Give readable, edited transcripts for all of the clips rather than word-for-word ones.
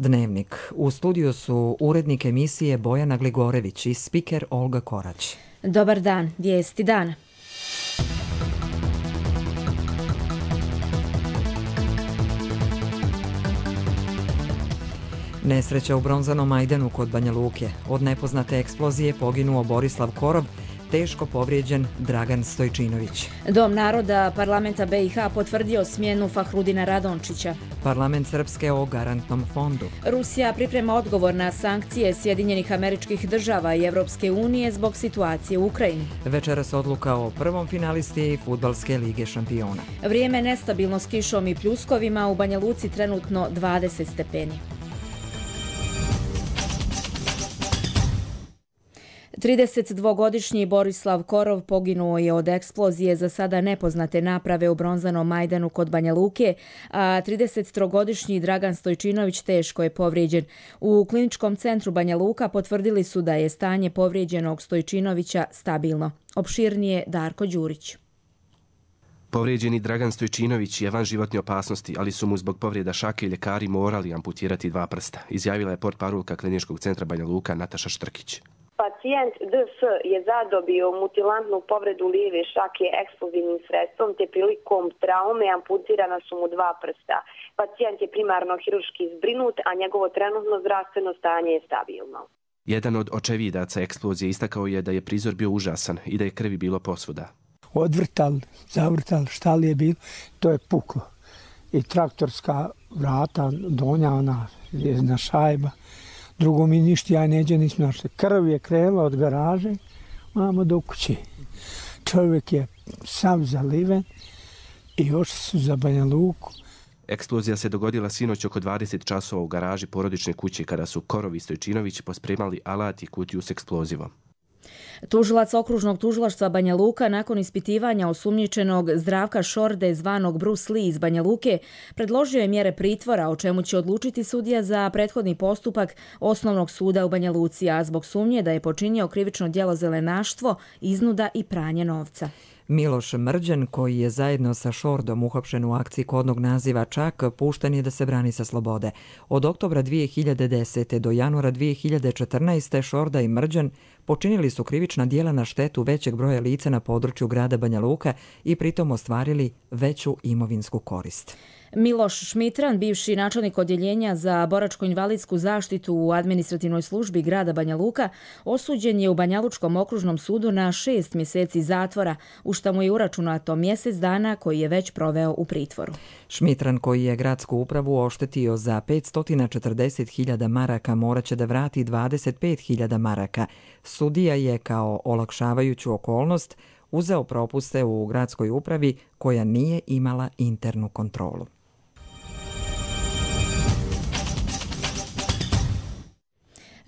Dnevnik. U studiju su urednik emisije Bojana Gligorević i spiker Olga Korać. Dobar dan, vijesti dana. Nesreća u Bronzanom Majdanu kod Banja Luke. Od nepoznate eksplozije poginuo Borislav Korov, teško povrijeđen Dragan Stojčinović. Dom naroda Parlamenta BiH potvrdio smjenu Fahrudina Radončića. Parlament Srpske o garantnom fondu. Rusija priprema odgovor na sankcije Sjedinjenih Američkih Država i Evropske unije zbog situacije u Ukrajini. Večeras odluka o prvom finalisti Fudbalske lige šampiona. Vrijeme nestabilno s kišom i pljuskovima, u Banja Luci trenutno 20 stepeni. 32-godišnji Borislav Korov poginuo je od eksplozije za sada nepoznate naprave u Bronzanom Majdanu kod Banja Luke, a 33-godišnji Dragan Stojčinović teško je povrijeđen. U kliničkom centru Banja Luka potvrdili su da je stanje povrijeđenog Stojčinovića stabilno. Opširnije Darko Đurić. Povrijeđeni Dragan Stojčinović je van životne opasnosti, ali su mu zbog povrijeda šake ljekari morali amputirati 2 prsta, izjavila je portparolka kliničkog centra Banja Luka Nataša Štrkić. Pacijent DS je zadobio mutilantnu povredu lijeve šake eksplozivnim sredstvom, te prilikom traume amputirana su mu 2 prsta. Pacijent je primarno hirurški zbrinut, a njegovo trenutno zdravstveno stanje je stabilno. Jedan od očevidaca eksplozije istakao je da je prizor bio užasan i da je krvi bilo posvuda. Odvrtali, zavrtali, šta li je bilo, to je puklo. I traktorska vrata, donja, ona jedna šajba. Drugo mi ništa, ja neđe nisam našao. Krv je krenula od garaže, mamo do kuće. Čovjek je sav zaliven i ošli su za Banja Luku. Eksplozija se dogodila sinoć oko 20 časova u garaži porodične kuće kada su Korov i Stojčinović pospremali alat i kutiju s eksplozivom. Tužilac okružnog tužilaštva Banja Luka nakon ispitivanja osumnjičenog Zdravka Šorde zvanog Bruce Lee iz Banja Luke predložio je mjere pritvora, o čemu će odlučiti sudija za prethodni postupak Osnovnog suda u Banja Luci, a zbog sumnje da je počinio krivično djelo zelenaštvo, iznuda i pranje novca. Miloš Mrđan, koji je zajedno sa Šordom uhapšen u akciji kodnog naziva Čak, pušten je da se brani sa slobode. Od oktobra 2010. do januara 2014. Šorda i Mrđan počinili su krivična djela na štetu većeg broja lica na području grada Banja Luka i pritom ostvarili veću imovinsku korist. Miloš Šmitran, bivši načelnik odjeljenja za boračko-invalidsku zaštitu u administrativnoj službi grada Banja Luka, osuđen je u Banjalučkom okružnom sudu na 6 mjeseci zatvora, u šta mu je uračunato mjesec dana koji je već proveo u pritvoru. Šmitran, koji je gradsku upravu oštetio za 540.000 maraka, moraće da vrati 25.000 maraka. Sudija je kao olakšavajuću okolnost uzeo propuste u gradskoj upravi koja nije imala internu kontrolu.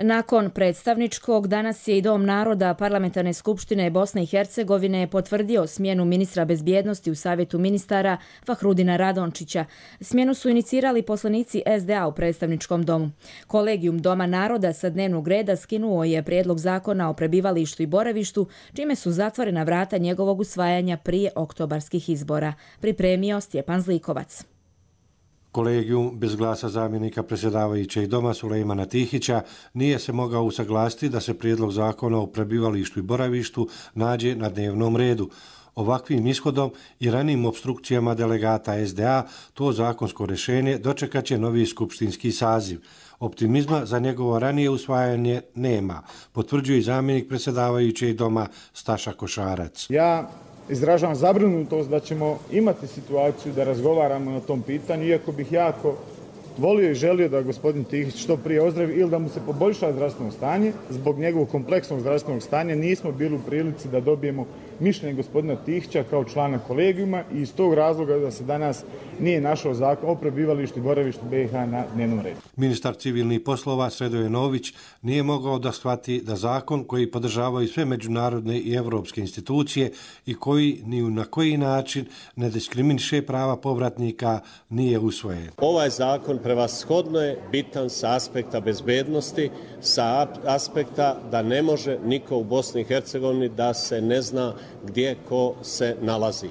Nakon predstavničkog, danas je i Dom naroda Parlamentarne skupštine Bosne i Hercegovine potvrdio smjenu ministra bezbjednosti u Savjetu ministara Fahrudina Radončića. Smjenu su inicirali poslanici SDA u predstavničkom domu. Kolegijum Doma naroda sa dnevnog reda skinuo je prijedlog zakona o prebivalištu i boravištu, čime su zatvorena vrata njegovog usvajanja prije oktobarskih izbora. Pripremio Stjepan Zlikovac. Kolegijum bez glasa zamjenika predsjedavajućeg doma Sulejmana Tihića nije se mogao usaglasiti da se prijedlog zakona o prebivalištu i boravištu nađe na dnevnom redu. Ovakvim ishodom i ranijim opstrukcijama delegata SDA to zakonsko rješenje dočekat će novi skupštinski saziv. Optimizma za njegovo ranije usvajanje nema, potvrđuje i zamjenik predsjedavajućeg doma Staša Košarac. Ja izražavam zabrinutost da ćemo imati situaciju da razgovaramo na tom pitanju, iako bih jako volio i želio da gospodin Tihić što prije ozdravi ili da mu se poboljša zdravstveno stanje. Zbog njegovog kompleksnog zdravstvenog stanja nismo bili u prilici da dobijemo mišljenje gospodina Tihića kao člana kolegijuma i iz tog razloga da se danas nije našao zakon o prebivalištu i boravištu BiH na dnevnom redu. Ministar civilnih poslova Sredoje Nović nije mogao da shvati da zakon koji podržavaju sve međunarodne i evropske institucije i koji ni na koji način ne diskriminiše prava povratnika nije usvojen. Ovaj zakon prevashodno je bitan sa aspekta bezbednosti, sa aspekta da ne može niko u Bosni i Hercegovini da se ne zna gdje ko se nalazi.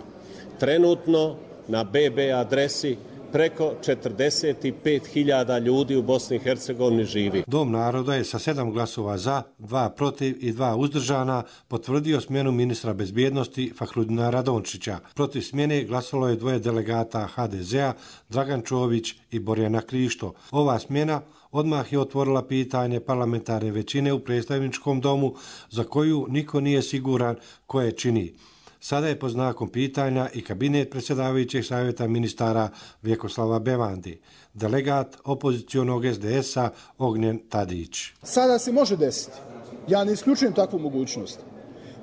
Trenutno na BB adresi preko 45.000 ljudi u Bosni i Hercegovini živi. Dom naroda je sa 7 glasova za, 2 protiv i 2 uzdržana potvrdio smjenu ministra bezbjednosti Fahrudina Radončića. Protiv smjene glasalo je 2 delegata HDZ-a, Dragan Čović i Borjana Krišto. Ova smjena odmah je otvorila pitanje parlamentarne većine u predstavničkom domu za koju niko nije siguran ko je čini. Sada je pod znakom pitanja i kabinet predsjedavajućeg savjeta ministara Vjekoslava Bevandi, delegat opozicionog SDS-a Ognjen Tadić. Sada se može desiti, ja ne isključujem takvu mogućnost,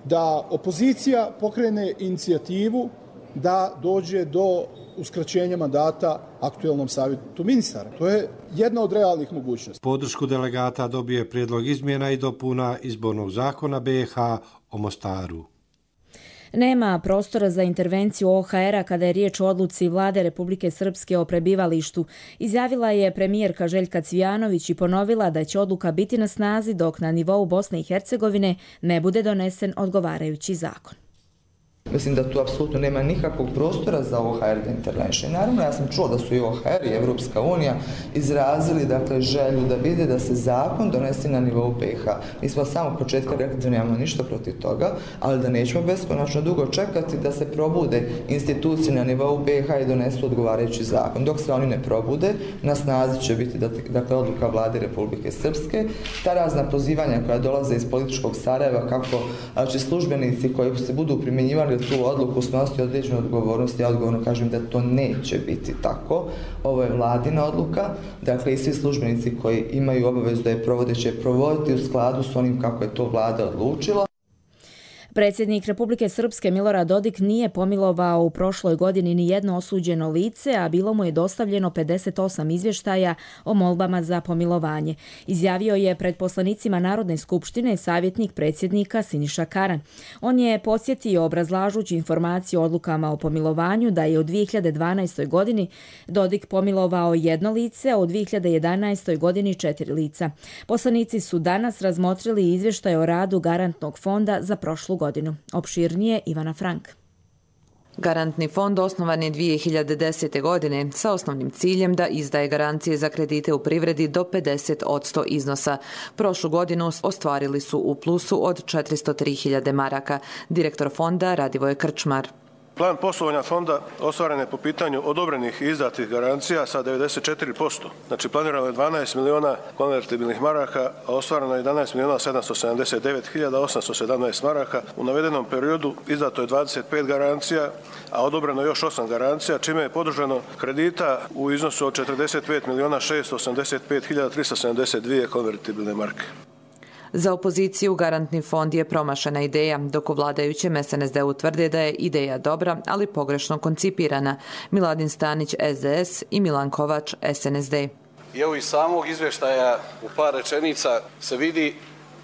da opozicija pokrene inicijativu da dođe do uskraćenja mandata aktuelnom savjetu ministara. To je jedna od realnih mogućnosti. Podršku delegata dobije prijedlog izmjena i dopuna izbornog zakona BiH o Mostaru. Nema prostora za intervenciju OHR-a kada je riječ o odluci vlade Republike Srpske o prebivalištu, izjavila je premijerka Željka Cvijanović i ponovila da će odluka biti na snazi dok na nivou Bosne i Hercegovine ne bude donesen odgovarajući zakon. Mislim da tu apsolutno nema nikakvog prostora za OHR da intervenše. Naravno, ja sam čuo da su i OHR i Evropska unija izrazili želju da vide da se zakon donese na nivou BiH. Mi smo samo početka rekli da nemamo ništa protiv toga, ali da nećemo beskonačno dugo čekati da se probude institucije na nivou BiH i donesu odgovarajući zakon. Dok se oni ne probude, na snazi će biti odluka vlade Republike Srpske. Ta razna pozivanja koja dolaze iz političkog Sarajeva kako će službenici koji se budu primjenjivali tu odluku snositi određenu odgovornost, ja odgovorno kažem da to neće biti tako. Ovo je vladina odluka, i svi službenici koji imaju obavezu da je provode će provoditi u skladu s onim kako je to vlada odlučila. Predsjednik Republike Srpske Milorad Dodik nije pomilovao u prošloj godini ni jedno osuđeno lice, a bilo mu je dostavljeno 58 izvještaja o molbama za pomilovanje. Izjavio je pred poslanicima Narodne skupštine savjetnik predsjednika Siniša Karan. On je podsjetio obrazlažući informaciju o odlukama o pomilovanju da je u 2012. godini Dodik pomilovao jedno lice, a u 2011. godini 4 lica. Poslanici su danas razmotrili izvještaj o radu Garantnog fonda za prošlu godinu. Opširnije Ivana Frank. Garantni fond osnovan je 2010. godine sa osnovnim ciljem da izdaje garancije za kredite u privredi do 50% iznosa. Prošlu godinu ostvarili su u plusu od 403.000 maraka. Direktor fonda Radivoj Krčmar. Plan poslovanja fonda ostvaren je po pitanju odobrenih i izdatih garancija sa 94%. Znači planirano je 12 miliona konvertibilnih maraka, a ostvareno je 11 miliona 779.817 maraka. U navedenom periodu izdato je 25 garancija, a odobreno još 8 garancija, čime je podržano kredita u iznosu od 45 miliona 685.372 konvertibilne marke. Za opoziciju Garantni fond je promašena ideja, dok u vladajućem SNSD-u tvrde da je ideja dobra, ali pogrešno koncipirana. Miladin Stanić SDS i Milan Kovač SNSD. Evo iz samog izvještaja u par rečenica se vidi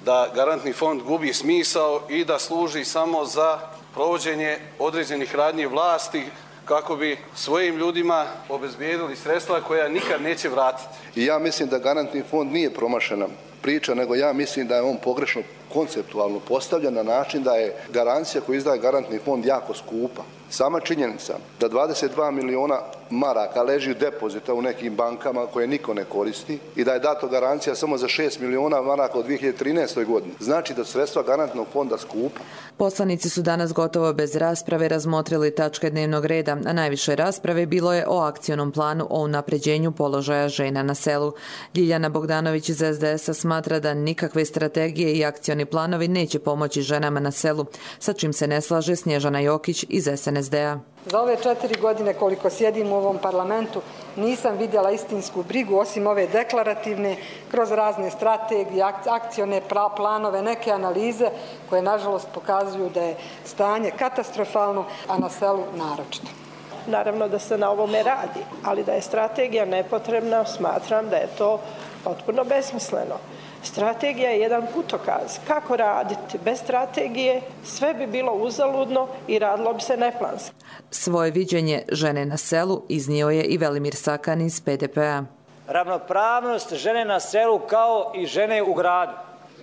da Garantni fond gubi smisao i da služi samo za provođenje određenih radnji vlasti kako bi svojim ljudima obezbijedili sredstva koja nikad neće vratiti. I ja mislim da Garantni fond nije promašena priča, nego ja mislim da je on pogrešno konceptualno postavljen na način da je garancija koju izdaje Garantni fond jako skupa. Sama činjenica da 22 miliona maraka leži depozita u nekim bankama koje niko ne koristi i da je dato garancija samo za 6 miliona maraka u 2013. godini, znači da sredstva Garantnog fonda skupa. Poslanici su danas gotovo bez rasprave razmotrili tačke dnevnog reda, a najviše rasprave bilo je o akcionom planu o unapređenju položaja žena na selu. Ljiljana Bogdanović iz SDS-a smatra da nikakve strategije i akcioni planovi neće pomoći ženama na selu, sa čim se ne slaže Snježana Jokić iz SNSD-a. Za ove 4 godine koliko sjedim u ovom parlamentu nisam vidjela istinsku brigu osim ove deklarativne kroz razne strategije, akcione planove, neke analize koje nažalost pokazuju da je stanje katastrofalno, a na selu naročito. Naravno da se na ovome radi, ali da je strategija nepotrebna, smatram da je to potpuno besmisleno. Strategija je jedan putokaz. Kako raditi? Bez strategije sve bi bilo uzaludno i radilo bi se neplanski. Svoje viđenje žene na selu iznio je i Velimir Sakan iz PDP-a. Ravnopravnost žene na selu kao i žene u gradu.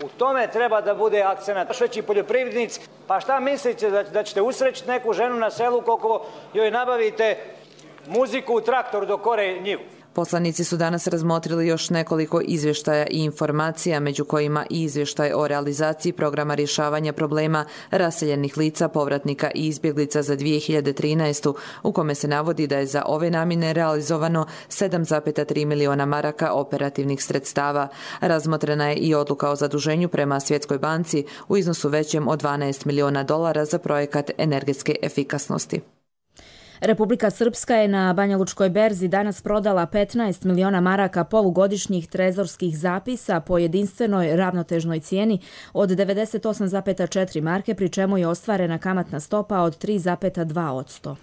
U tome treba da bude akcenat. Veći poljoprivrednici, pa šta mislite da ćete usrećiti neku ženu na selu koliko joj nabavite muziku u traktoru dok ore njivu. Poslanici su danas razmotrili još nekoliko izvještaja i informacija, među kojima i izvještaj o realizaciji programa rješavanja problema raseljenih lica, povratnika i izbjeglica za 2013. u kome se navodi da je za ove namjene realizovano 7,3 miliona maraka operativnih sredstava. Razmotrena je i odluka o zaduženju prema Svjetskoj banci u iznosu većem od $12 miliona za projekat energetske efikasnosti. Republika Srpska je na Banjalučkoj berzi danas prodala 15 miliona maraka polugodišnjih trezorskih zapisa po jedinstvenoj ravnotežnoj cijeni od 98,4 marke, pri čemu je ostvarena kamatna stopa od 3,2%.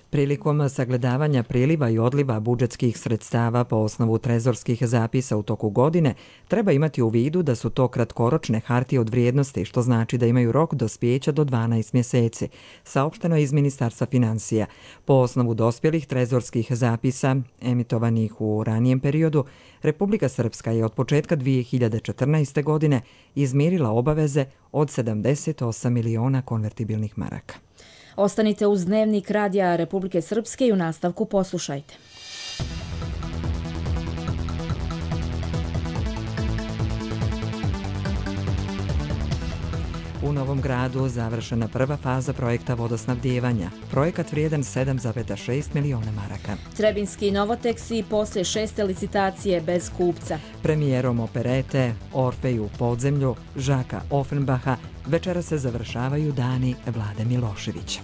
Prilikom sagledavanja priliva i odliva budžetskih sredstava po osnovu trezorskih zapisa u toku godine, treba imati u vidu da su to kratkoročne hartije od vrijednosti, što znači da imaju rok dospijeća do 12 mjeseci, saopšteno je iz Ministarstva financija. Po osnovu dospjelih trezorskih zapisa, emitovanih u ranijem periodu, Republika Srpska je od početka 2014. godine izmirila obaveze od 78 miliona konvertibilnih maraka. Ostanite uz Dnevnik Radija Republike Srpske i u nastavku poslušajte. U Novom Gradu završena prva faza projekta vodosnabdijevanja. Projekat vrijedan 7,6 miliona maraka. Trebinski Novoteksi poslije 6. licitacije bez kupca. Premijerom operete Orfej u podzemlju Žaka Offenbacha večera se završavaju dani Vlade Miloševića.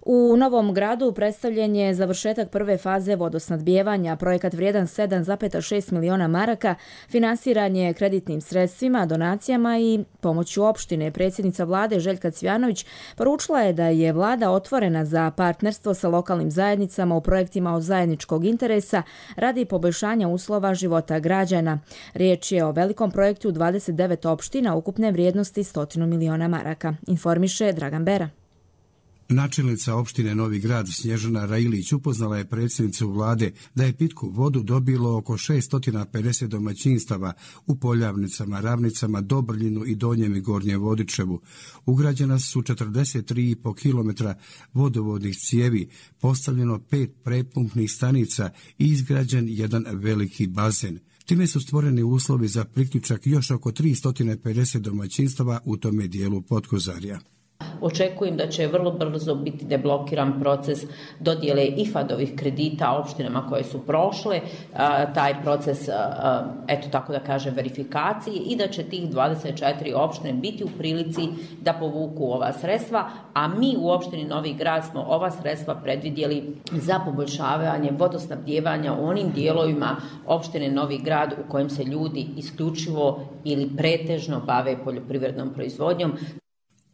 U Novom Gradu predstavljen je završetak prve faze vodosnadbijevanja. Projekat vrijedan 7,6 miliona maraka finansiran je kreditnim sredstvima, donacijama i pomoću opštine. Predsjednica vlade Željka Cvjanović poručila je da je vlada otvorena za partnerstvo sa lokalnim zajednicama u projektima od zajedničkog interesa radi poboljšanja uslova života građana. Riječ je o velikom projektu 29 opština ukupne vrijednosti 100 miliona maraka, informiše Dragan Bera. Načelnica opštine Novi Grad Snježana Railić upoznala je predsjednicu vlade da je pitku vodu dobilo oko 650 domaćinstava u Poljavnicama, Ravnicama, Dobrljinu i Donjem i Gornjem Vodičevu. Ugrađena su 43,5 km vodovodnih cijevi, postavljeno 5 prepumpnih stanica i izgrađen jedan veliki bazen. Time su stvoreni uslovi za priključak još oko 350 domaćinstava u tome dijelu Potkozarja. Očekujem da će vrlo brzo biti deblokiran proces dodjele IFAD-ovih kredita opštinama koje su prošle, taj proces, eto tako da kažem, verifikacije i da će tih 24 opštine biti u prilici da povuku ova sredstva, a mi u opštini Novi Grad smo ova sredstva predvidjeli za poboljšavanje vodosnabdijevanja u onim dijelovima opštine Novi Grad u kojem se ljudi isključivo ili pretežno bave poljoprivrednom proizvodnjom.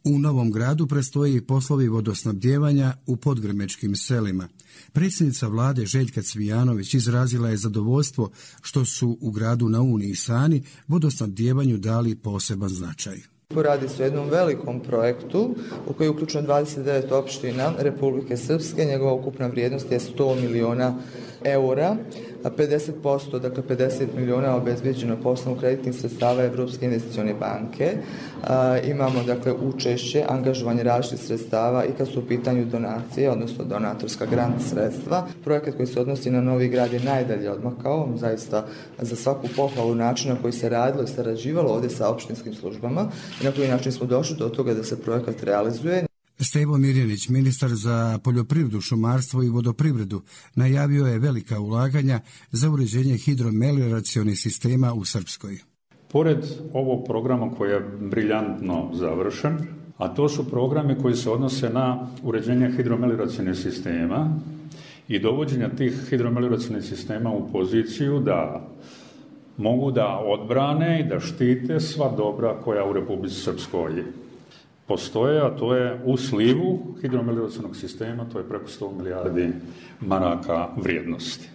U Novom Gradu predstoje poslovi vodosnabdijevanja u podgrmečkim selima. Predsjednica vlade Željka Cvijanović izrazila je zadovoljstvo što su u gradu na Uni i Sani vodosnabdijevanju dali poseban značaj. Radi se o jednom velikom projektu u koji je uključeno 29 opština Republike Srpske. Njegova ukupna vrijednost je 100 miliona eura, a 50%, dakle 50 miliona obezbeđeno po osnovu kreditnih sredstava Evropske investicione banke. Imamo dakle učešće, angažovanje različitih sredstava i kad su u pitanju donacije, odnosno donatorska grant sredstva. Projekat koji se odnosi na Novi Grad je najdalje odmakao, zaista za svaku pohvalu načina koji se radilo i sarađivalo ovdje sa opštinskim službama i na koji način smo došli do toga da se projekat realizuje. Stevo Mirjanić, ministar za poljoprivredu, šumarstvo i vodoprivredu, najavio je velika ulaganja za uređenje hidromelioracionih sistema u Srpskoj. Pored ovog programa koji je briljantno završen, a to su programi koji se odnose na uređenje hidromelioracionih sistema i dovođenja tih hidromelioracionih sistema u poziciju da mogu da odbrane i da štite sva dobra koja u Republici Srpskoj postoje, a to je u slivu hidromelioracionog sistema, to je preko 100 milijardi maraka vrijednosti.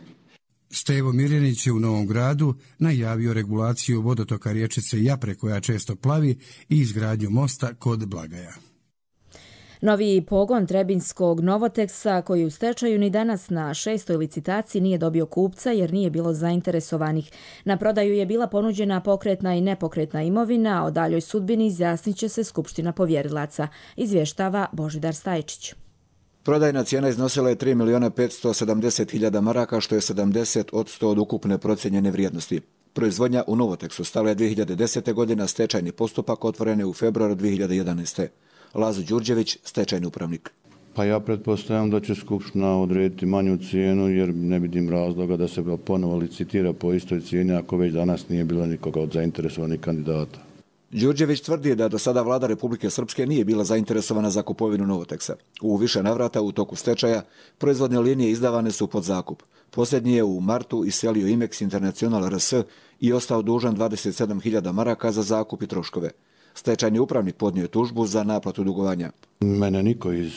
Stevo Mirjanić je u Novom Gradu najavio regulaciju vodotoka riječice Japre koja često plavi i izgradnju mosta kod Blagaja. Novi pogon trebinskog Novoteksa, koji u stečaju ni danas na 6. licitaciji nije dobio kupca jer nije bilo zainteresovanih. Na prodaju je bila ponuđena pokretna i nepokretna imovina, a o daljoj sudbini izjasnit će se Skupština povjerilaca, izvještava Božidar Stajčić. Prodajna cijena iznosila je 3.570.000 maraka, što je 70% od ukupne procijenjene vrijednosti. Proizvodnja u Novoteksu stala je 2010. godine, stečajni postupak otvoren je u februaru 2011. Lazo Đurđević, stečajni upravnik. Pa ja pretpostavljam da će Skupština odrediti manju cijenu jer ne vidim razloga da se ponovo licitira po istoj cijeni ako već danas nije bilo nikoga od zainteresovanih kandidata. Đurđević tvrdi da do sada vlada Republike Srpske nije bila zainteresovana za kupovinu Novoteksa. U više navrata u toku stečaja proizvodne linije izdavane su pod zakup. Posljednji je u martu iselio Imex International RS i ostao dužan 27.000 maraka za zakup i troškove. Stečajni upravnik podnio je tužbu za naplatu dugovanja. Mene niko iz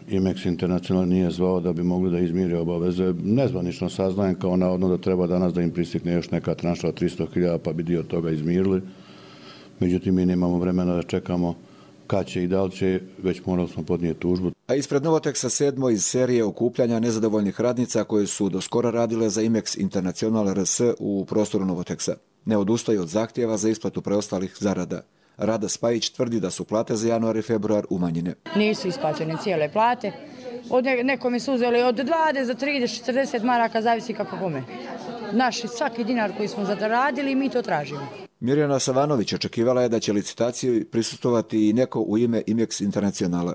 Imex International nije zvao da bi mogli da izmire obaveze. Nezvanično saznajem kao navodno da treba danas da im pristikne još neka tranša od 300.000 pa bi dio toga izmirili. Međutim, mi nemamo vremena da čekamo kad će i da li će, već morali smo podnijeti tužbu. A ispred Novoteksa 7. iz serije okupljanja nezadovoljnih radnica koje su do skora radile za Imex International RS u prostoru Novoteksa. Ne odustaju od zahtjeva za isplatu preostalih zarada. Rada Spajić tvrdi da su plate za januar i februar umanjene. Nisu isplaćene cijele plate. Od nekome su uzeli od 20 do 30, 40 maraka, zavisi kako kome. Naš svaki dinar koji smo zaradili, mi to tražimo. Mirjana Savanović očekivala je da će licitaciji prisustvovati i neko u ime Imex Internacionala.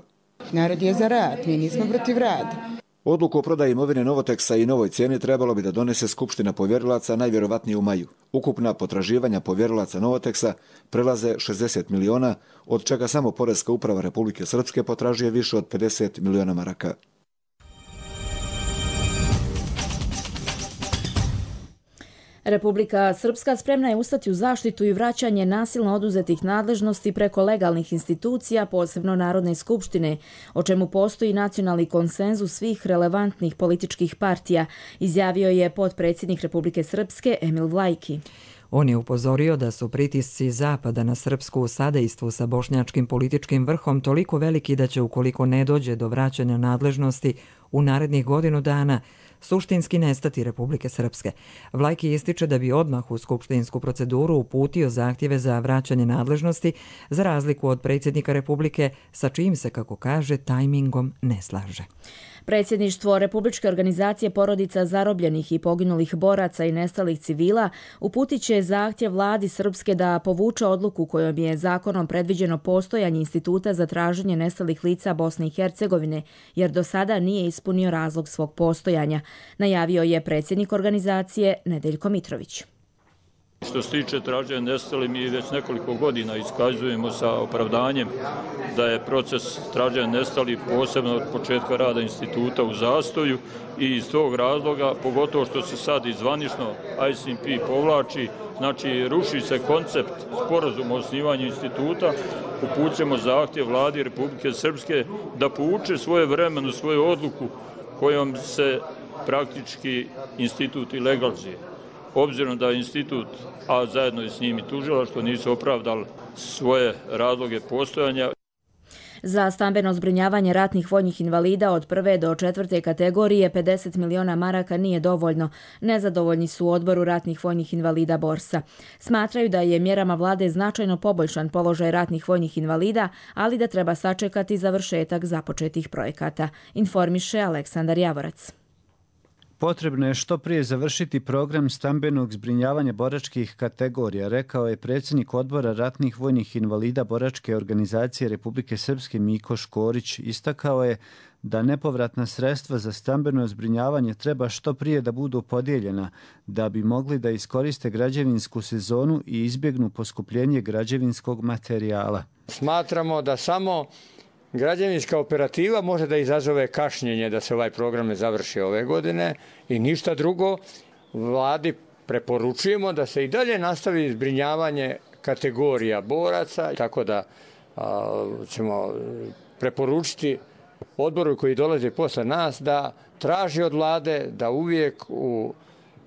Narod je za rad, mi nismo protiv rada. Odluku o prodaji imovine Novoteksa i novoj cijeni trebalo bi da donese Skupština povjerilaca najvjerovatnije u maju. Ukupna potraživanja povjerilaca Novoteksa prelaze 60 miliona, od čega samo Poreska uprava Republike Srpske potražuje više od 50 miliona maraka. Republika Srpska spremna je ustati u zaštitu i vraćanje nasilno oduzetih nadležnosti preko legalnih institucija, posebno Narodne skupštine, o čemu postoji nacionalni konsenzus svih relevantnih političkih partija, izjavio je potpredsjednik Republike Srpske Emil Vlajki. On je upozorio da su pritisci Zapada na Srpsku u sadejstvu sa bošnjačkim političkim vrhom toliko veliki da će, ukoliko ne dođe do vraćanja nadležnosti u narednih godinu dana, suštinski nestati Republike Srpske. Vlajki ističe da bi odmah u skupštinsku proceduru uputio zahtjeve za vraćanje nadležnosti, za razliku od predsjednika Republike, sa čijim se, kako kaže, tajmingom ne slaže. Predsjedništvo Republičke organizacije porodica zarobljenih i poginulih boraca i nestalih civila uputit će zahtjev vladi Srpske da povuče odluku kojom je zakonom predviđeno postojanje instituta za traženje nestalih lica Bosne i Hercegovine, jer do sada nije ispunio razlog svog postojanja, najavio je predsjednik organizacije Nedeljko Mitrović. Što se tiče traženja nestalih, mi već nekoliko godina iskazujemo sa opravdanjem da je proces traženja nestalih posebno od početka rada instituta u zastoju i iz tog razloga, pogotovo što se sad izvanično ICMP povlači, znači ruši se koncept sporazuma o osnivanju instituta, upućujemo zahtjev vladi Republike Srpske da povuče svoje vremenu, svoju odluku kojom se praktički institut i legalizuje. Obzirom da institut, a zajedno i s njim i tužilaštvo, nisu opravdali svoje razloge postojanja. Za stambeno zbrinjavanje ratnih vojnih invalida od 1. do 4. kategorije 50 miliona maraka nije dovoljno. Nezadovoljni su u odboru ratnih vojnih invalida Borsa. Smatraju da je mjerama vlade značajno poboljšan položaj ratnih vojnih invalida, ali da treba sačekati završetak započetih projekata, informiše Aleksandar Javorac. Potrebno je što prije završiti program stambenog zbrinjavanja boračkih kategorija, rekao je predsjednik odbora ratnih vojnih invalida Boračke organizacije Republike Srpske Miko Škorić. Istakao je da nepovratna sredstva za stambeno zbrinjavanje treba što prije da budu podijeljena, da bi mogli da iskoriste građevinsku sezonu i izbjegnu poskupljenje građevinskog materijala. Smatramo da samo građevinska operativa može da izazove kašnjenje da se ovaj program ne završi ove godine i ništa drugo. Vladi preporučujemo da se i dalje nastavi zbrinjavanje kategorija boraca, tako da ćemo preporučiti odboru koji dolaze posle nas da traži od vlade da uvijek u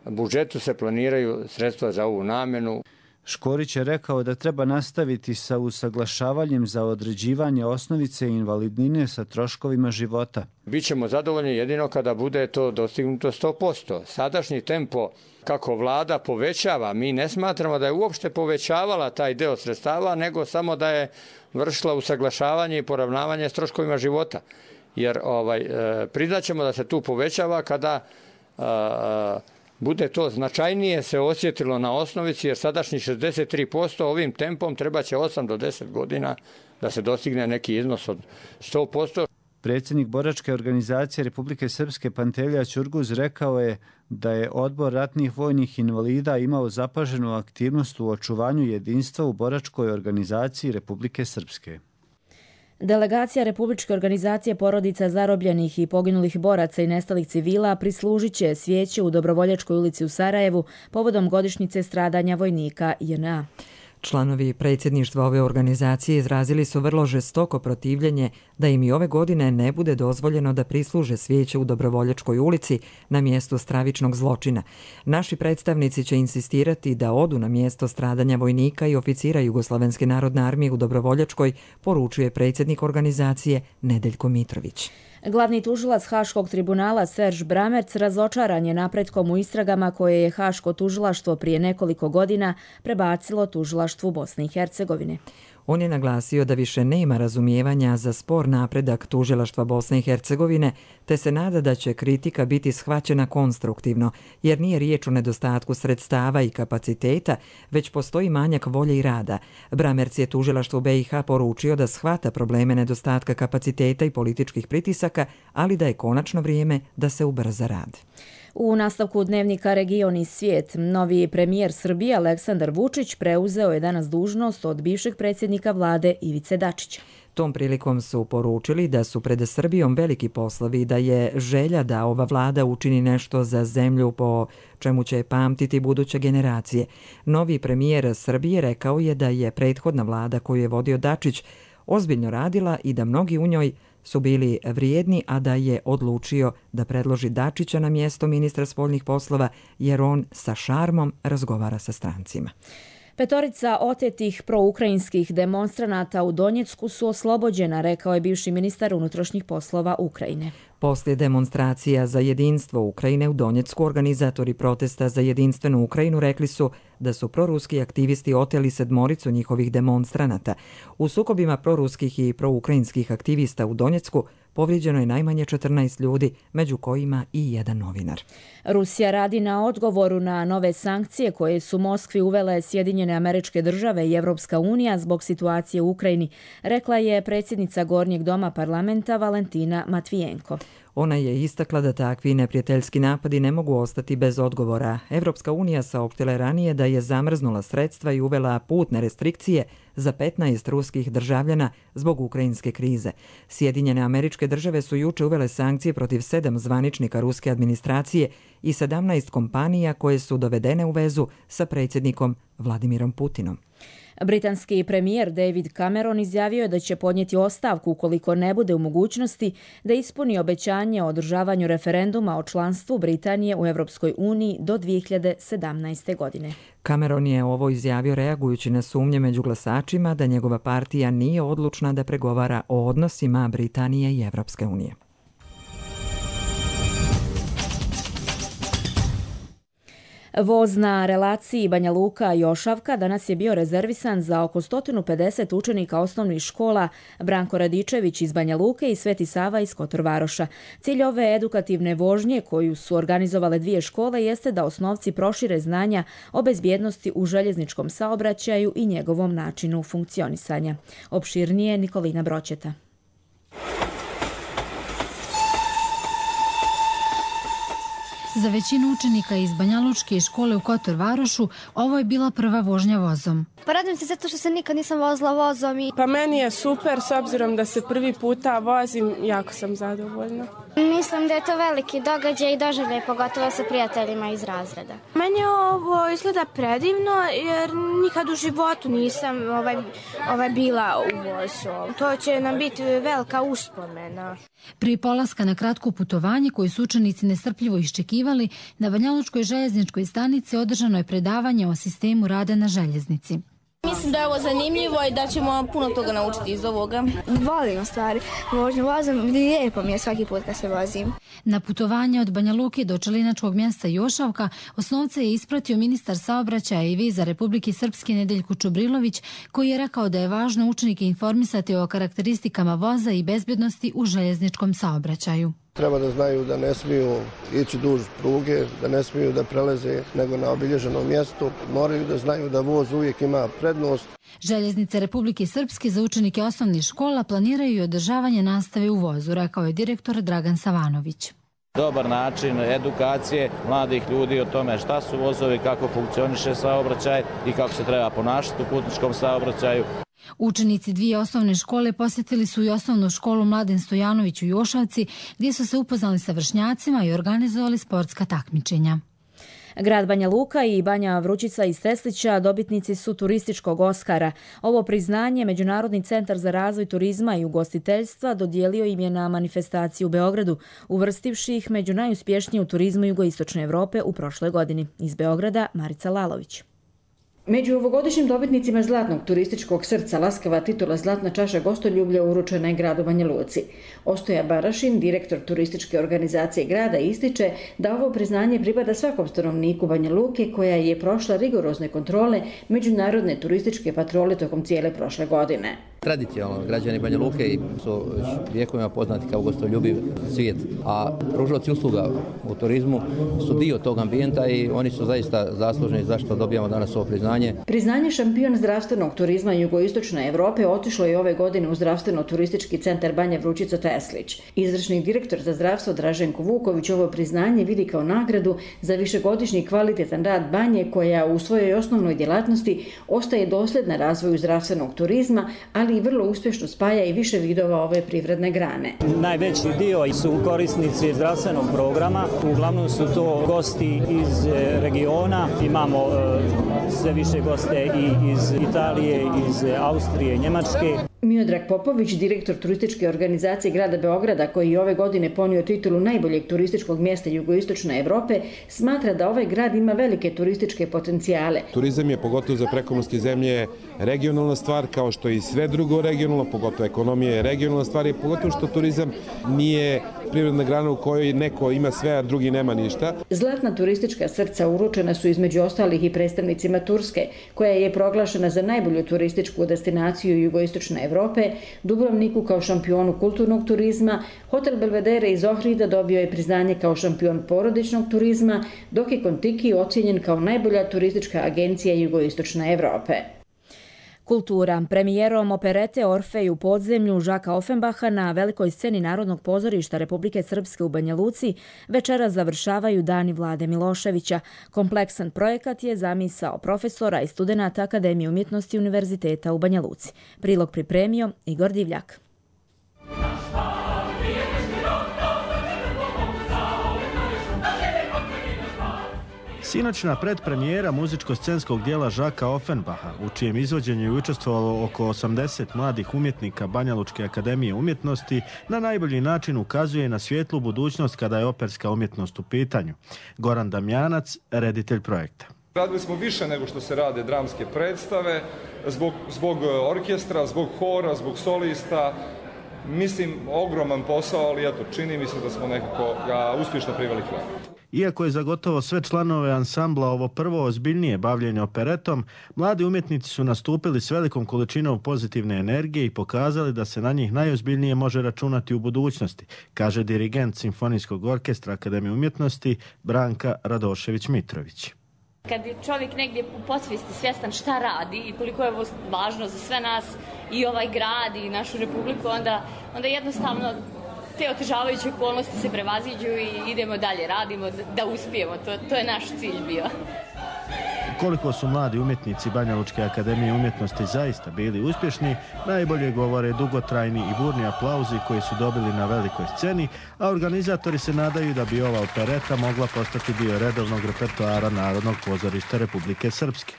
budžetu se planiraju sredstva za ovu namjenu. Škorić je rekao da treba nastaviti sa usaglašavanjem za određivanje osnovice i invalidnine sa troškovima života. Bićemo zadovoljni jedino kada bude to dostignuto 100%. Sadašnji tempo kako vlada povećava, mi ne smatramo da je uopšte povećavala taj deo sredstava, nego samo da je vršila usaglašavanje i poravnavanje s troškovima života. Jer priznaćemo da se tu povećava kada bude to značajnije se osjetilo na osnovici, jer sadašnji 63% ovim tempom treba će 8 do 10 godina da se dostigne neki iznos od 100%. Predsjednik boračke organizacije Republike Srpske Pantelja Ćurguz rekao je da je Odbor ratnih vojnih invalida imao zapaženu aktivnost u očuvanju jedinstva u boračkoj organizaciji Republike Srpske. Delegacija Republičke organizacije porodica zarobljenih i poginulih boraca i nestalih civila prislužit će svijeće u Dobrovoljačkoj ulici u Sarajevu povodom godišnjice stradanja vojnika JNA. Članovi predsjedništva ove organizacije izrazili su vrlo žestoko protivljenje da im i ove godine ne bude dozvoljeno da prisluže svijeće u Dobrovoljačkoj ulici na mjestu stravičnog zločina. Naši predstavnici će insistirati da odu na mjesto stradanja vojnika i oficira Jugoslovenske narodne armije u Dobrovoljačkoj, poručuje predsjednik organizacije Nedeljko Mitrović. Glavni tužilac Haškog tribunala Serž Bramerc razočaran je napretkom u istragama koje je Haško tužilaštvo prije nekoliko godina prebacilo tužilaštvu Bosne i Hercegovine. On je naglasio da više nema razumijevanja za spor napredak tužilaštva Bosne i Hercegovine, te se nada da će kritika biti shvaćena konstruktivno, jer nije riječ o nedostatku sredstava i kapaciteta, već postoji manjak volje i rada. Bramerc je tužilaštvu BiH poručio da shvata probleme nedostatka kapaciteta i političkih pritisaka, ali da je konačno vrijeme da se ubrza rad. U nastavku dnevnika Region i svijet, novi premijer Srbije Aleksandar Vučić preuzeo je danas dužnost od bivšeg predsjednika vlade Ivice Dačića. Tom prilikom su poručili da su pred Srbijom veliki poslovi, da je želja da ova vlada učini nešto za zemlju po čemu će pamtiti buduće generacije. Novi premijer Srbije rekao je da je prethodna vlada koju je vodio Dačić ozbiljno radila i da mnogi u njoj su bili vrijedni, a da je odlučio da predloži Dačića na mjesto ministra spoljnih poslova, jer on sa šarmom razgovara sa strancima. 5 otetih proukrajinskih demonstranata u Donjecku su oslobođena, rekao je bivši ministar unutrašnjih poslova Ukrajine. Poslije demonstracija za jedinstvo Ukrajine u Donjecku, organizatori protesta za jedinstvenu Ukrajinu rekli su da su proruski aktivisti oteli 7 njihovih demonstranata. U sukobima proruskih i proukrajinskih aktivista u Donjecku povrijeđeno je najmanje 14 ljudi, među kojima i jedan novinar. Rusija radi na odgovoru na nove sankcije koje su Moskvi uvele Sjedinjene Američke Države i Evropska unija zbog situacije u Ukrajini, rekla je predsjednica Gornjeg doma parlamenta Valentina Matvijenko. Ona je istakla da takvi neprijateljski napadi ne mogu ostati bez odgovora. Evropska unija saopštila ranije da je zamrznula sredstva i uvela putne restrikcije za 15 ruskih državljana zbog ukrajinske krize. Sjedinjene Američke Države su juče uvele sankcije protiv 7 zvaničnika ruske administracije i 17 kompanija koje su dovedene u vezu sa predsjednikom Vladimirom Putinom. Britanski premijer David Cameron izjavio je da će podnijeti ostavku ukoliko ne bude u mogućnosti da ispuni obećanje o održavanju referenduma o članstvu Britanije u Evropskoj uniji do 2017. godine. Cameron je ovo izjavio reagujući na sumnje među glasačima da njegova partija nije odlučna da pregovara o odnosima Britanije i Evropske unije. Voz na relaciji Banja Luka-Jošavka danas je bio rezervisan za oko 150 učenika osnovnih škola Branko Radičević iz Banja Luke i Sveti Sava iz Kotor Varoša. Cilj ove edukativne vožnje koju su organizovale 2 škole jeste da osnovci prošire znanja o bezbjednosti u željezničkom saobraćaju i njegovom načinu funkcionisanja. Opširnije Nikolina Broćeta. Za većinu učenika iz Banjalučke škole u Kotor Varošu ovo je bila prva vožnja vozom. Pa radim se zato što se nikad nisam vozila vozom. Pa meni je super, s obzirom da se prvi puta vozim, jako sam zadovoljna. Mislim da je to veliki događaj i doživljaj, pogotovo sa prijateljima iz razreda. Meni ovo izgleda predivno jer nikad u životu nisam bila u vozu. To će nam biti velika uspomena. Prije polaska na kratko putovanje koje su učenici nestrpljivo iščekivali, na Banjalučkoj željezničkoj stanici održano je predavanje o sistemu rada na željeznici. Mislim da je ovo zanimljivo i da ćemo puno toga naučiti iz ovoga. Volim stvari, vožnju vozom, lijepo mi je svaki put kad se vozim. Na putovanje od Banja Luke do čelinačkog mjesta Jošavka osnovce je ispratio ministar saobraćaja i viza Republike Srpske Nedeljko Čubrilović, koji je rekao da je važno učenike informisati o karakteristikama voza i bezbjednosti u željezničkom saobraćaju. Treba da znaju da ne smiju ići duž pruge, da ne smiju da preleze nego na obilježenom mjestu. Moraju da znaju da voz uvijek ima prednost. Željeznice Republike Srpske za učenike osnovnih škola planiraju i održavanje nastave u vozu, rekao je direktor Dragan Savanović. Dobar način edukacije mladih ljudi o tome šta su vozovi, kako funkcioniše saobraćaj i kako se treba ponašati u putničkom saobraćaju. Učenici dvije osnovne škole posjetili su i osnovnu školu Mladen Stojanović u Jošavci, gdje su se upoznali sa vršnjacima i organizovali sportska takmičenja. Grad Banja Luka i Banja Vrućica iz Teslića dobitnici su turističkog Oskara. Ovo priznanje Međunarodni centar za razvoj turizma i ugostiteljstva dodijelio im je na manifestaciji u Beogradu, uvrstivši ih među najuspješnije u turizmu jugoistočne Evrope u prošloj godini. Iz Beograda Marica Lalović. Među ovogodišnjim dobitnicima Zlatnog turističkog srca laskava titula Zlatna čaša gostoljublja uručena je gradu Banja Luci. Ostoja Barašin, direktor turističke organizacije grada, ističe da ovo priznanje pripada svakom stanovniku Banja Luke koja je prošla rigorozne kontrole Međunarodne turističke patrole tokom cijele prošle godine. Tradicionalno građani Banja Luke su vjekovima poznati kao gostoljubiv svijet, a pružaoci usluga u turizmu su dio tog ambijenta i oni su zaista zaslužni zašto dobijamo danas ovo priznanje. Priznanje šampion zdravstvenog turizma jugoistočne Evrope otišlo je ove godine u zdravstveno-turistički centar Banja Vrućica Teslić. Izvršni direktor za zdravstvo Draženko Vuković ovo priznanje vidi kao nagradu za višegodišnji kvalitetan rad Banje koja u svojoj osnovnoj djelatnosti ostaje dosljedna razvoju zdravstvenog turizma, ali i vrlo uspješno spaja i više vidova ove privredne grane. Najveći dio su korisnici zdravstvenog programa, uglavnom su to gosti iz regiona, imamo sve više goste i iz Italije, iz Austrije, Njemačke. Miodrag Popović, direktor turističke organizacije grada Beograda, koji je ove godine ponio titulu najboljeg turističkog mjesta jugoistočne Evrope, smatra da ovaj grad ima velike turističke potencijale. Turizam je, pogotovo za prekomorske zemlje, regionalna stvar, kao što i sve drugo regionalno, pogotovo ekonomija je regionalna stvar i pogotovo što turizam nije privredna grana u kojoj neko ima sve, a drugi nema ništa. Zlatna turistička srca uručena su između ostalih i predstavnicima Turske, koja je proglašena za najbolju turističku destinaciju jugoistočne Evrope, Dubrovniku kao šampionu kulturnog turizma, Hotel Belvedere iz Ohrida dobio je priznanje kao šampion porodičnog turizma, dok je Kontiki ocijenjen kao najbolja turistička agencija jugoistočne Evrope. Kultura. Premijerom operete Orfej u podzemlju Žaka Offenbacha na velikoj sceni Narodnog pozorišta Republike Srpske u Banja Luci večeras završavaju Dani Vlade Miloševića. Kompleksan projekat je zamisao profesora i studenata Akademije umjetnosti Univerziteta u Banja Luci. Prilog pripremio Igor Divljak. Sinoćna predpremijera muzičko-scenskog dijela Žaka Offenbacha, u čijem izvođenju je učestvovalo oko 80 mladih umjetnika Banjalučke akademije umjetnosti, na najbolji način ukazuje na svijetlu budućnost kada je operska umjetnost u pitanju. Goran Damjanac, reditelj projekta. Radili smo više nego što se rade dramske predstave, zbog orkestra, zbog hora, zbog solista. Mislim, ogroman posao, ali eto, čini mi se da smo nekako ga uspješno priveli kraju. Iako je za gotovo sve članove ansambla ovo prvo ozbiljnije bavljenje operetom, mladi umjetnici su nastupili s velikom količinom pozitivne energije i pokazali da se na njih najozbiljnije može računati u budućnosti, kaže dirigent Simfonijskog orkestra Akademije umjetnosti Branka Radošević-Mitrović. Kad je čovjek negdje u podsvijesti svjestan šta radi i koliko je ovo važno za sve nas i ovaj grad i našu republiku, onda jednostavno te otežavajuće okolnosti se prevaziđu i idemo dalje, radimo da uspijemo. To je naš cilj bio. Koliko su mladi umjetnici Banjalučke akademije umjetnosti zaista bili uspješni, najbolje govore dugotrajni i burni aplauzi koji su dobili na velikoj sceni, a organizatori se nadaju da bi ova opereta mogla postati dio redovnog repertoara Narodnog pozorišta Republike Srpske.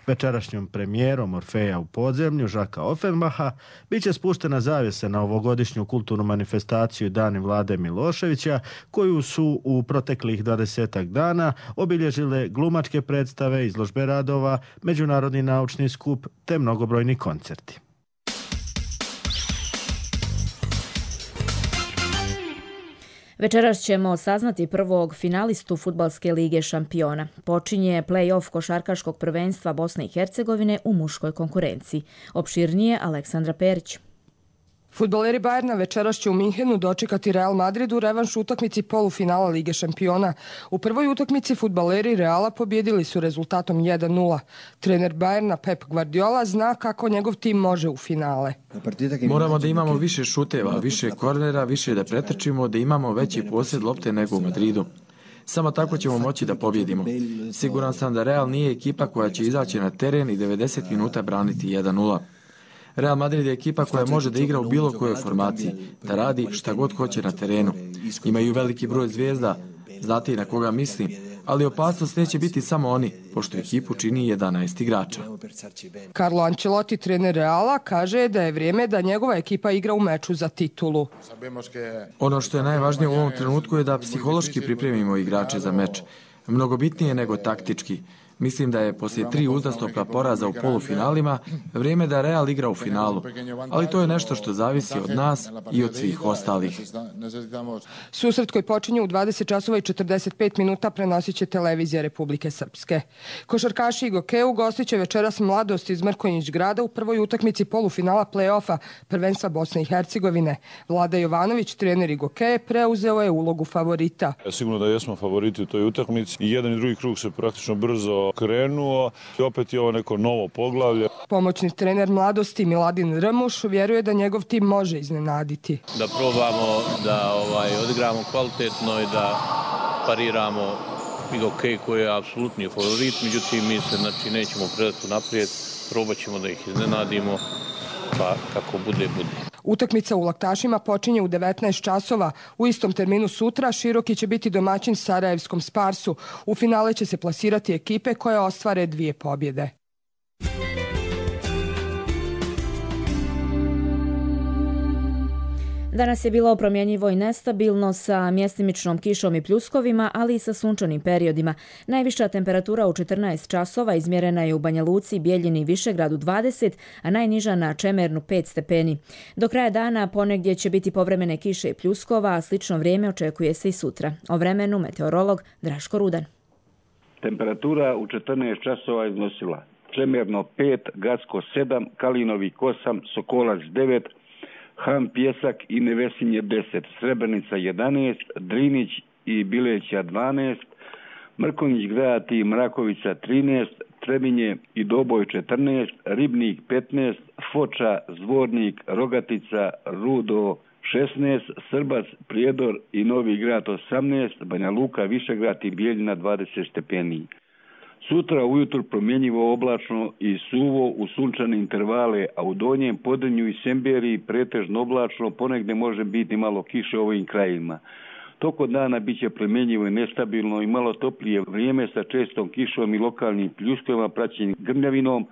Večerašnjom premijerom Orfeja u podzemlju Žaka Offenbaha biće spuštena zavjesa na ovogodišnju kulturnu manifestaciju Dani Vlade Miloševića, koju su u proteklih 20 dana obilježile glumačke predstave, izložbe radova, međunarodni naučni skup te mnogobrojni koncerti. Večeras ćemo saznati prvog finalistu Fudbalske lige šampiona. Počinje play-off košarkaškog prvenstva Bosne i Hercegovine u muškoj konkurenciji. Opširnije Aleksandra Perić. Fudbaleri Bayerna večeras će u Minhenu dočekati Real Madrid u revanš utakmici polufinala Lige šampiona. U prvoj utakmici fudbaleri Reala pobjedili su rezultatom 1:0. Trener Bayerna Pep Guardiola zna kako njegov tim može u finale. Moramo da imamo više šuteva, više kornera, više da pretrčimo, da imamo veći posjed lopte nego u Madridu. Samo tako ćemo moći da pobjedimo. Siguran sam da Real nije ekipa koja će izaći na teren i 90 minuta braniti 1:0. Real Madrid je ekipa koja može da igra u bilo kojoj formaciji, da radi šta god hoće na terenu. Imaju veliki broj zvijezda, znate i na koga mislim, ali opasnost neće biti samo oni, pošto ekipu čini 11 igrača. Carlo Ancelotti, trener Reala, kaže da je vrijeme da njegova ekipa igra u meču za titulu. Ono što je najvažnije u ovom trenutku je da psihološki pripremimo igrače za meč. Mnogo bitnije nego taktički. Mislim da je poslije 3 uzastopna poraza u polufinalima vrijeme da Real igra u finalu, ali to je nešto što zavisi od nas i od svih ostalih. Susret koji počinje u 20:45 prenosit će televizija Republike Srpske. Košarkaši Igoke gostit će večeras Mladost iz Mrkonjić grada u prvoj utakmici polufinala play-offa prvenstva Bosne i Hercegovine. Vlada Jovanović, trener Igoke, preuzeo je ulogu favorita. Sigurno da jesmo favoriti u toj utakmici i jedan i drugi krug se praktično brzo krenuo i opet je ovo neko novo poglavlje. Pomoćni trener Mladosti Miladin Rmuš vjeruje da njegov tim može iznenaditi. Da probamo da odigramo kvalitetno i da pariramo Igoke koji je apsolutni favorit, međutim mi se nećemo predati naprijed, probat ćemo da ih iznenadimo, pa kako bude. Utakmica u Laktašima počinje u 19 časova. U istom terminu sutra Široki će biti domaćin Sarajevskom Sparsu. U finale će se plasirati ekipe koje ostvare 2 pobjede. Danas je bilo promjenjivo i nestabilno sa mjestimičnom kišom i pljuskovima, ali i sa sunčanim periodima. Najviša temperatura u 14 časova izmjerena je u Banja Luci, Bijeljini i Višegradu 20, a najniža na Čemernu 5 stepeni. Do kraja dana ponegdje će biti povremene kiše i pljuskova, a slično vrijeme očekuje se i sutra. O vremenu meteorolog Draško Rudan. Temperatura u 14 časova iznosila Čemerno 5, Gacko 7, Kalinovik 8, Sokolac 9, Han Pjesak i Nevesinje 10, Srebrenica 11, Drinić i Bileća 12, Mrkonjić grad i Mrakovica 13, Trebinje i Doboj 14, Ribnik 15, Foča, Zvornik, Rogatica, Rudo 16, Srbac, Prijedor i Novi grad 18, Banja Luka, Višegrad i Bijeljina 20 stepeni. Sutra ujutro promjenjivo oblačno i suvo u sunčane intervale, a u Donjem Podrinju i Semberiji pretežno oblačno, ponegdje može biti malo kiše u ovim krajima. Tokom dana bit će promjenjivo i nestabilno i malo toplije vrijeme sa čestom kišom i lokalnim pljuskovima praćenim grmljavinom,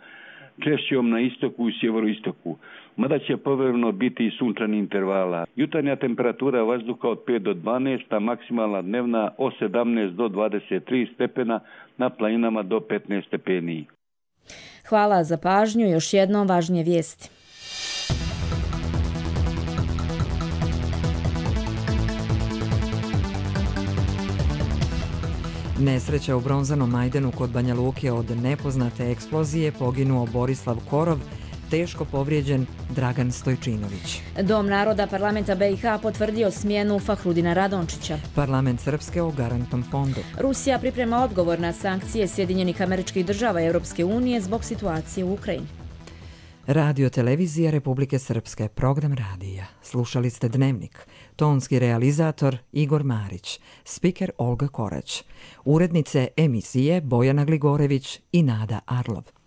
češćom na istoku i sjeveroistoku. Mada će povremeno biti i sunčani intervala. Jutarnja temperatura vazduha od 5 do 12, a maksimalna dnevna od 17 do 23 stepena, na planinama do 15 stepeni. Hvala za pažnju. Još jednom važnije vijesti. Nesreća u Bronzanom Majdanu kod Banja Luke od nepoznate eksplozije, poginuo Borislav Korov, teško povrijeđen Dragan Stojčinović. Dom naroda parlamenta BiH potvrdio smjenu Fahrudina Radončića. Parlament Srpske o garantnom fondu. Rusija priprema odgovor na sankcije Sjedinjenih Američkih Država i Europske unije zbog situacije u Ukrajini. Radio Televizija Republike Srpske, program radija. Slušali ste Dnevnik. Tonski realizator Igor Marić, spiker Olga Korać, urednice emisije Bojana Gligorević i Nada Arlov.